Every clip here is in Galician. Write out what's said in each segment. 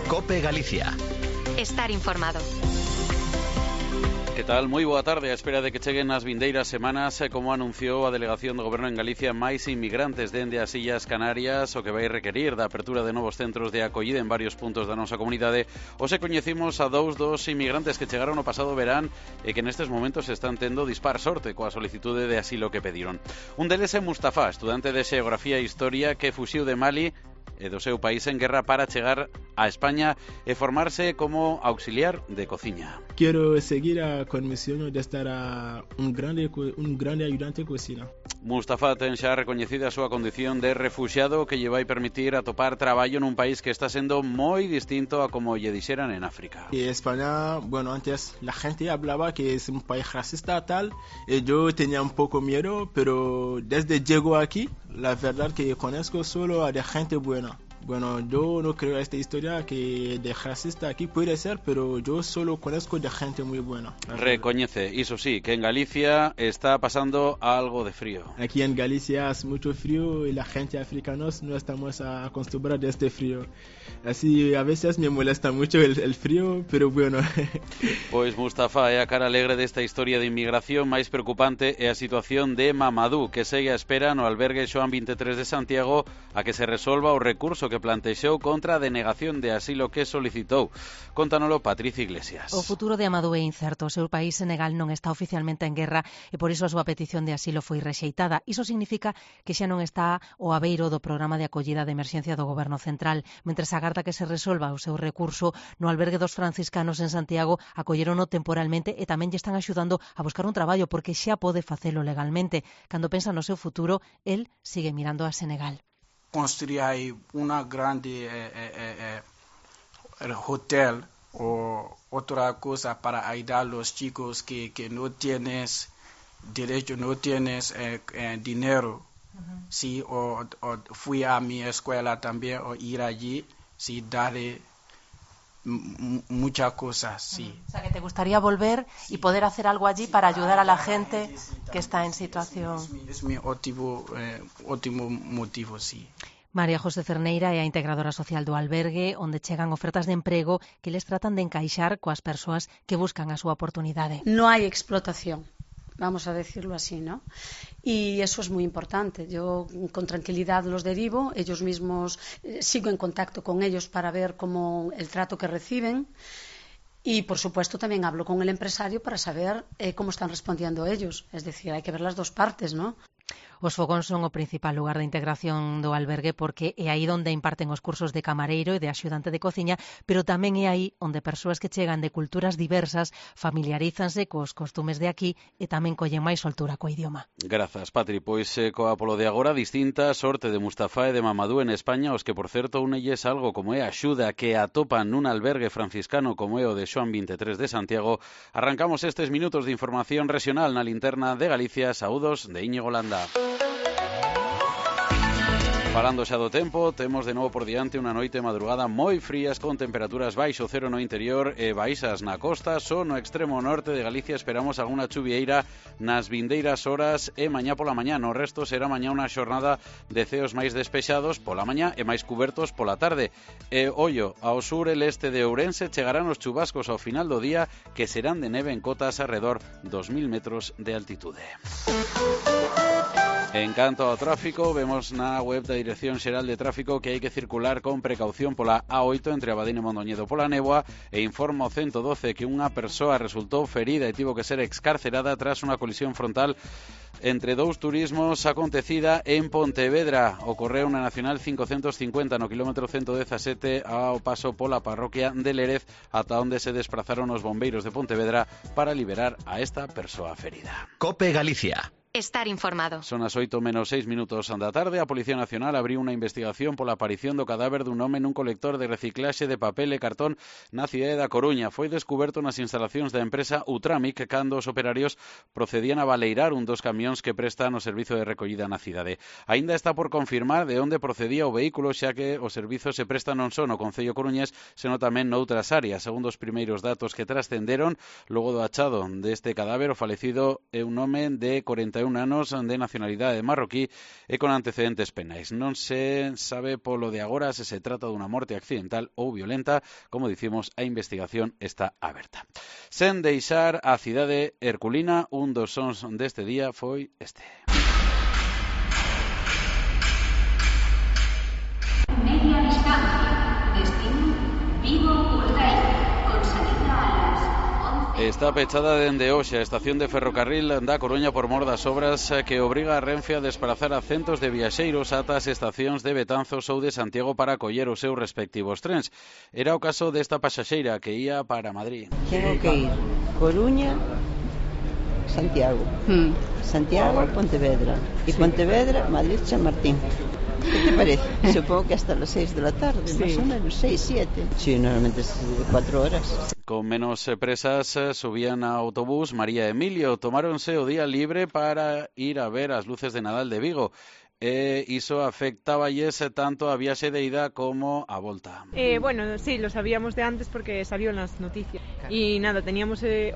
COPE Galicia. Estar informado. Que tal? Moi boa tarde. A espera de que cheguen as vindeiras semanas, como anunciou a Delegación do Goberno en Galicia, máis inmigrantes dende as Illas Canarias, o que vai requerir da apertura de novos centros de acollida en varios puntos da nosa comunidade. Hoxe coñecimos a dous dos inmigrantes que chegaron no pasado verán e que nestes momentos están tendo dispar sorte coa solicitude de asilo que pediron. Un deles é Mustafa, estudante de Xeografía e Historia que fuxiu de Mali e do seu país en guerra para chegar a España e formarse como auxiliar de cociña. Quiero seguir con mi sueño de estar un grande ayudante de cocina. Mustafa ten xa recoñecida a súa condición de refuxiado que lle vai permitir atopar traballo nun país que está sendo moi distinto a como lle dixeran en África. Y España, bueno, antes la gente hablaba que es un país racista tal, y yo tenía un poco miedo, pero desde llego aquí, la verdad que conozco solo a de gente buena. Bueno, yo no creo esta historia que de racista aquí puede ser, pero yo solo conozco de gente muy buena. Recoñece, iso sí, que en Galicia está pasando algo de frío. Aquí en Galicia hace mucho frío y la gente africana no estamos acostumbrados a este frío. Así a veces me molesta mucho el frío, pero bueno. Pois Mustafa é a cara alegre desta historia de inmigración. Máis preocupante é a situación de Mamadou, que segue a espera no albergue Xoán 23 de Santiago a que se resolva o recurso que plantexou contra a denegación de asilo que solicitou. Contanolo Patricia Iglesias. O futuro de Amadou é incerto. O seu país, Senegal, non está oficialmente en guerra e por iso a súa petición de asilo foi rexeitada. Iso significa que xa non está o abeiro do programa de acollida de emerxencia do Goberno Central. Mentres agarda que se resolva o seu recurso, no albergue dos franciscanos en Santiago acollerono temporalmente e tamén lle están axudando a buscar un traballo porque xa pode facelo legalmente. Cando pensa no seu futuro, el sigue mirando a Senegal. Construir aí uma grande hotel o outra coisa para ajudar os chicos que não tienes direito, não tienes dinheiro. Sí, o fui a minha escola também, o ir allí, sí, dar muchas cosas, sí. O sea, que te gustaría volver y poder hacer algo allí para ayudar a la gente que está en situación. Es mi ótimo motivo, sí. María José Cerneira é a integradora social do albergue, onde chegan ofertas de emprego que les tratan de encaixar coas persoas que buscan a súa oportunidade. No hay explotación, vamos a decirlo así, ¿no? Y eso es muy importante. Yo con tranquilidad los derivo, ellos mismos sigo en contacto con ellos para ver cómo el trato que reciben. Y, por supuesto, también hablo con el empresario para saber cómo están respondiendo ellos. Es decir, hay que ver las dos partes, ¿no? Os fogóns son o principal lugar de integración do albergue porque é aí onde imparten os cursos de camareiro e de axudante de cociña, pero tamén é aí onde persoas que chegan de culturas diversas familiarízanse cos costumes de aquí e tamén collen máis soltura co idioma. Grazas, Patri. Pois coa polo de agora distinta sorte de Mustafa e de Mamadou en España, os que, por certo, unelles algo como é a axuda que atopan nun albergue franciscano como é o de Xoán 23 de Santiago. Arrancamos estes minutos de información regional na linterna de Galicia. Saúdos de Íñigo Landa. Falando xa do tempo, temos de novo por diante unha noite madrugada moi frías con temperaturas baixo cero no interior e baixas na costa. Só no extremo norte de Galicia esperamos algunha chuvieira nas vindeiras horas e mañá pola mañá. No resto será mañá unha xornada de ceos máis despexados pola mañá e máis cubertos pola tarde. E ollo, ao sur e leste de Ourense chegarán os chubascos ao final do día que serán de neve en cotas alrededor 2000 metros de altitude. En canto ao tráfico, vemos na web da Dirección Xeral de Tráfico que hai que circular con precaución pola A8 entre Abadín e Mondoñedo pola néboa e informa o 112 que unha persoa resultou ferida e tivo que ser excarcerada tras unha colisión frontal entre dous turismos acontecida en Pontevedra. Ocorreu na Nacional 550 no kilómetro 117 ao paso pola parroquia de Lérez, ata onde se desprazaron os bombeiros de Pontevedra para liberar a esta persoa ferida. COPE Galicia. Estar informado. Son as 8 menos 6 minutos da tarde. A Policía Nacional abriu unha investigación pola aparición do cadáver dun home nun colector de reciclaxe de papel e cartón na cidade da Coruña. Foi descuberto nas instalacións da empresa Utramic cando os operarios procedían a baleirar un dos camións que prestan o servizo de recollida na cidade. Aínda está por confirmar de onde procedía o vehículo, xa que o servizo se presta non só no Concello coruñés, senón tamén noutras áreas. Segundo os primeiros datos que trascenderon, logo do achado deste cadáver, o falecido é un home de 41 21 anos de nacionalidade marroquí e con antecedentes penais. Non se sabe polo de agora se se trata dunha morte accidental ou violenta. Como dicimos, a investigación está aberta. Sen deixar a cidade herculina, un dos sons deste día foi este. Media distancia, destino Vigo Urdaí, con salida a las 11. Está pechada dende hoxe a estación de ferrocarril da Coruña por mor das obras que obriga a Renfe a desplazar a centos de viaxeiros ata as estacións de Betanzos ou de Santiago para acoller os seus respectivos trens. Era o caso desta pasaxeira que ía para Madrid. Tengo que ir Coruña, Santiago, Santiago, Pontevedra y Pontevedra, Madrid, San Martín. ¿Qué te parece? Supongo que hasta las 6 de la tarde, sí. Más o menos, 6, 7. Sí, normalmente es 4 horas. Con menos presas subían a autobús María e Emilio. Tomáronse o día libre para ir a ver as luces de Nadal de Vigo. Iso afectaballes tanto a viaxe de ida como a volta. Bueno, sí, lo sabíamos de antes porque salió en las noticias. Y nada,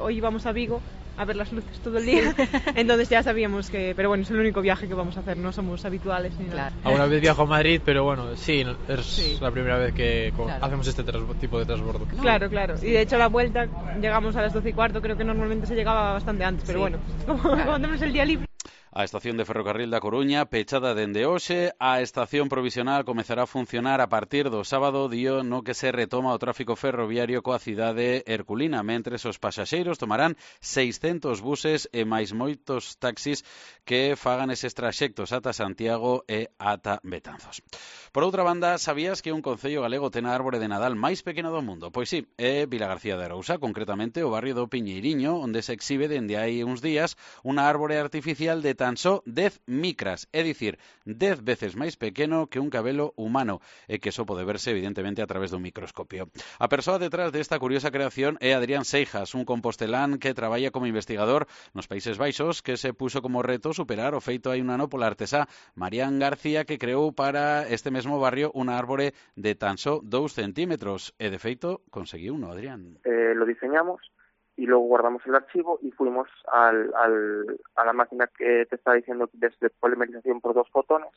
hoy íbamos a Vigo a ver las luces todo el día, entonces ya sabíamos que, pero bueno, es el único viaje que vamos a hacer, no somos habituales ni nada. Alguna vez viajo a Madrid, pero bueno, sí, es la primera vez que hacemos este tipo de transbordo. Claro, y de hecho la vuelta llegamos a las 12:15, creo que normalmente se llegaba bastante antes, pero bueno, como tenemos el día libre. A estación de ferrocarril da Coruña, pechada dende hoxe, a estación provisional comezará a funcionar a partir do sábado, día no que se retoma o tráfico ferroviario coa cidade herculina, mentres os pasaxeiros tomarán 600 buses e máis moitos taxis que fagan eses traxectos ata Santiago e ata Betanzos. Por outra banda, sabías que un concello galego ten a árbore de Nadal máis pequena do mundo? Pois sí, é Vilagarcía de Arousa, concretamente o barrio do Piñeiriño, onde se exhibe dende hai uns días unha árbore artificial de tan só 10 micras, é dicir, 10 veces máis pequeno que un cabelo humano, e que só pode verse evidentemente a través dun microscopio. A persoa detrás desta curiosa creación é Adrián Seijas, un compostelán que traballa como investigador nos Países Baixos, que se puxo como reto superar o feito hai un ano pola artesá Marián García, que creou para este mesmo barrio unha árbore de tan só 2 centímetros, e de feito conseguiu uno, Adrián. Lo diseñamos y luego guardamos el archivo y fuimos a la máquina que te está diciendo desde polimerización por 2 fotones,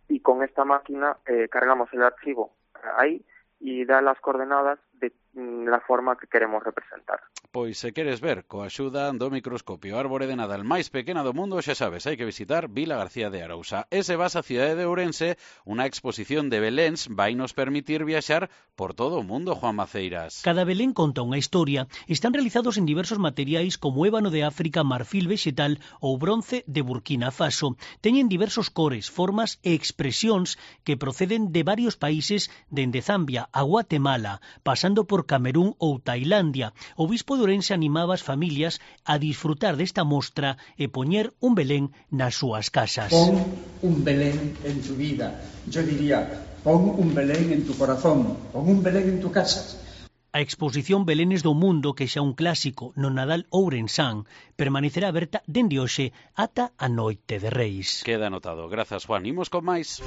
y con esta máquina cargamos el archivo ahí y da las coordenadas de la forma que queremos representar. Pois se queres ver coa axuda do microscopio árbore de Nadal máis pequena do mundo, xa sabes, hai que visitar Vilagarcía de Arousa. E se vas á cidade de Ourense, unha exposición de beléns vai nos permitir viaxar por todo o mundo, Juan Maceiras. Cada belén conta unha historia. Están realizados en diversos materiais como ébano de África, marfil vegetal ou bronce de Burkina Faso. Teñen diversos cores, formas e expresións que proceden de varios países, dende Zambia a Guatemala, pasando por Camerún ou Tailandia. O bispo de Ourense animaba as familias a disfrutar desta mostra e poñer un belén nas súas casas. Pon un belén en tu vida. Yo diría, pon un belén en tu corazón, pon un belén en tu casa. A exposición Belénes do Mundo, que xa un clásico no Nadal ourensán, permanecerá aberta dende hoxe ata a Noite de Reis. Queda anotado. Grazas, Juan. Imos con máis.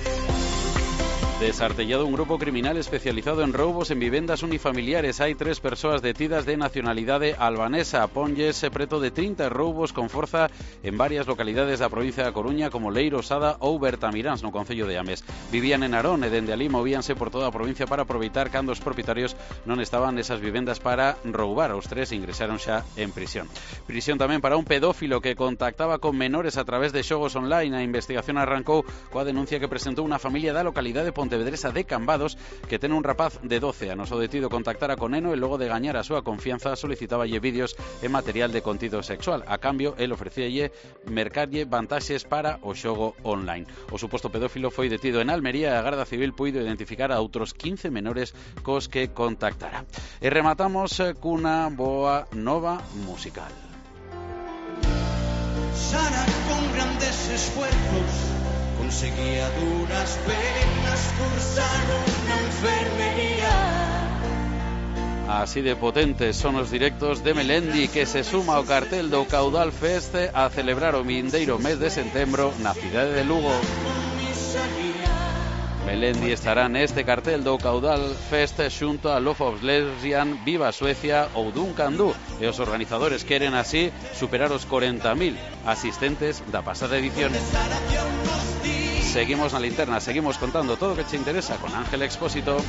Desartellado un grupo criminal especializado en roubos en vivendas unifamiliares. Hai 3 persoas detidas de nacionalidade albanesa. Ponlles preto de 30 roubos con forza en varias localidades da provincia da Coruña, como Leiro, Sada ou Bertamiráns, no concello de Ames. Vivían en Arón e dende alí movíanse por toda a provincia para aproveitar cando os propietarios non estaban nesas vivendas para roubar. Os 3 ingresaron xa en prisión. Prisión tamén para un pedófilo que contactaba con menores a través de xogos online. A investigación arrancou coa denuncia que presentou unha familia da localidade pontevedresa de Cambados, que ten un rapaz de 12 anos. O detido contactara con neno e logo de gañar a súa confianza solicitáballe vídeos e material de contido sexual. A cambio, el ofrecíalle mercarlle vantaxes para o xogo online. O suposto pedófilo foi detido en Almería e a Garda Civil puido identificar a outros 15 menores cos que contactara. E rematamos cunha boa nova musical. Sara con grandes esfuerzos conseguía duras penas cursar una enfermería. Así de potentes son os directos de Melendi, que se suma ao cartel do Caudal Fest a celebrar o vindeiro mes de setembro na cidade de Lugo. Melendi estará neste cartel do Caudal Fest xunto a Love of Lesbian, Viva Suecia ou Duncan Du, e os organizadores queren así superar os 40.000 asistentes da pasada edición. Seguimos na linterna, seguimos contando todo o que che interesa con Ángel Expósito.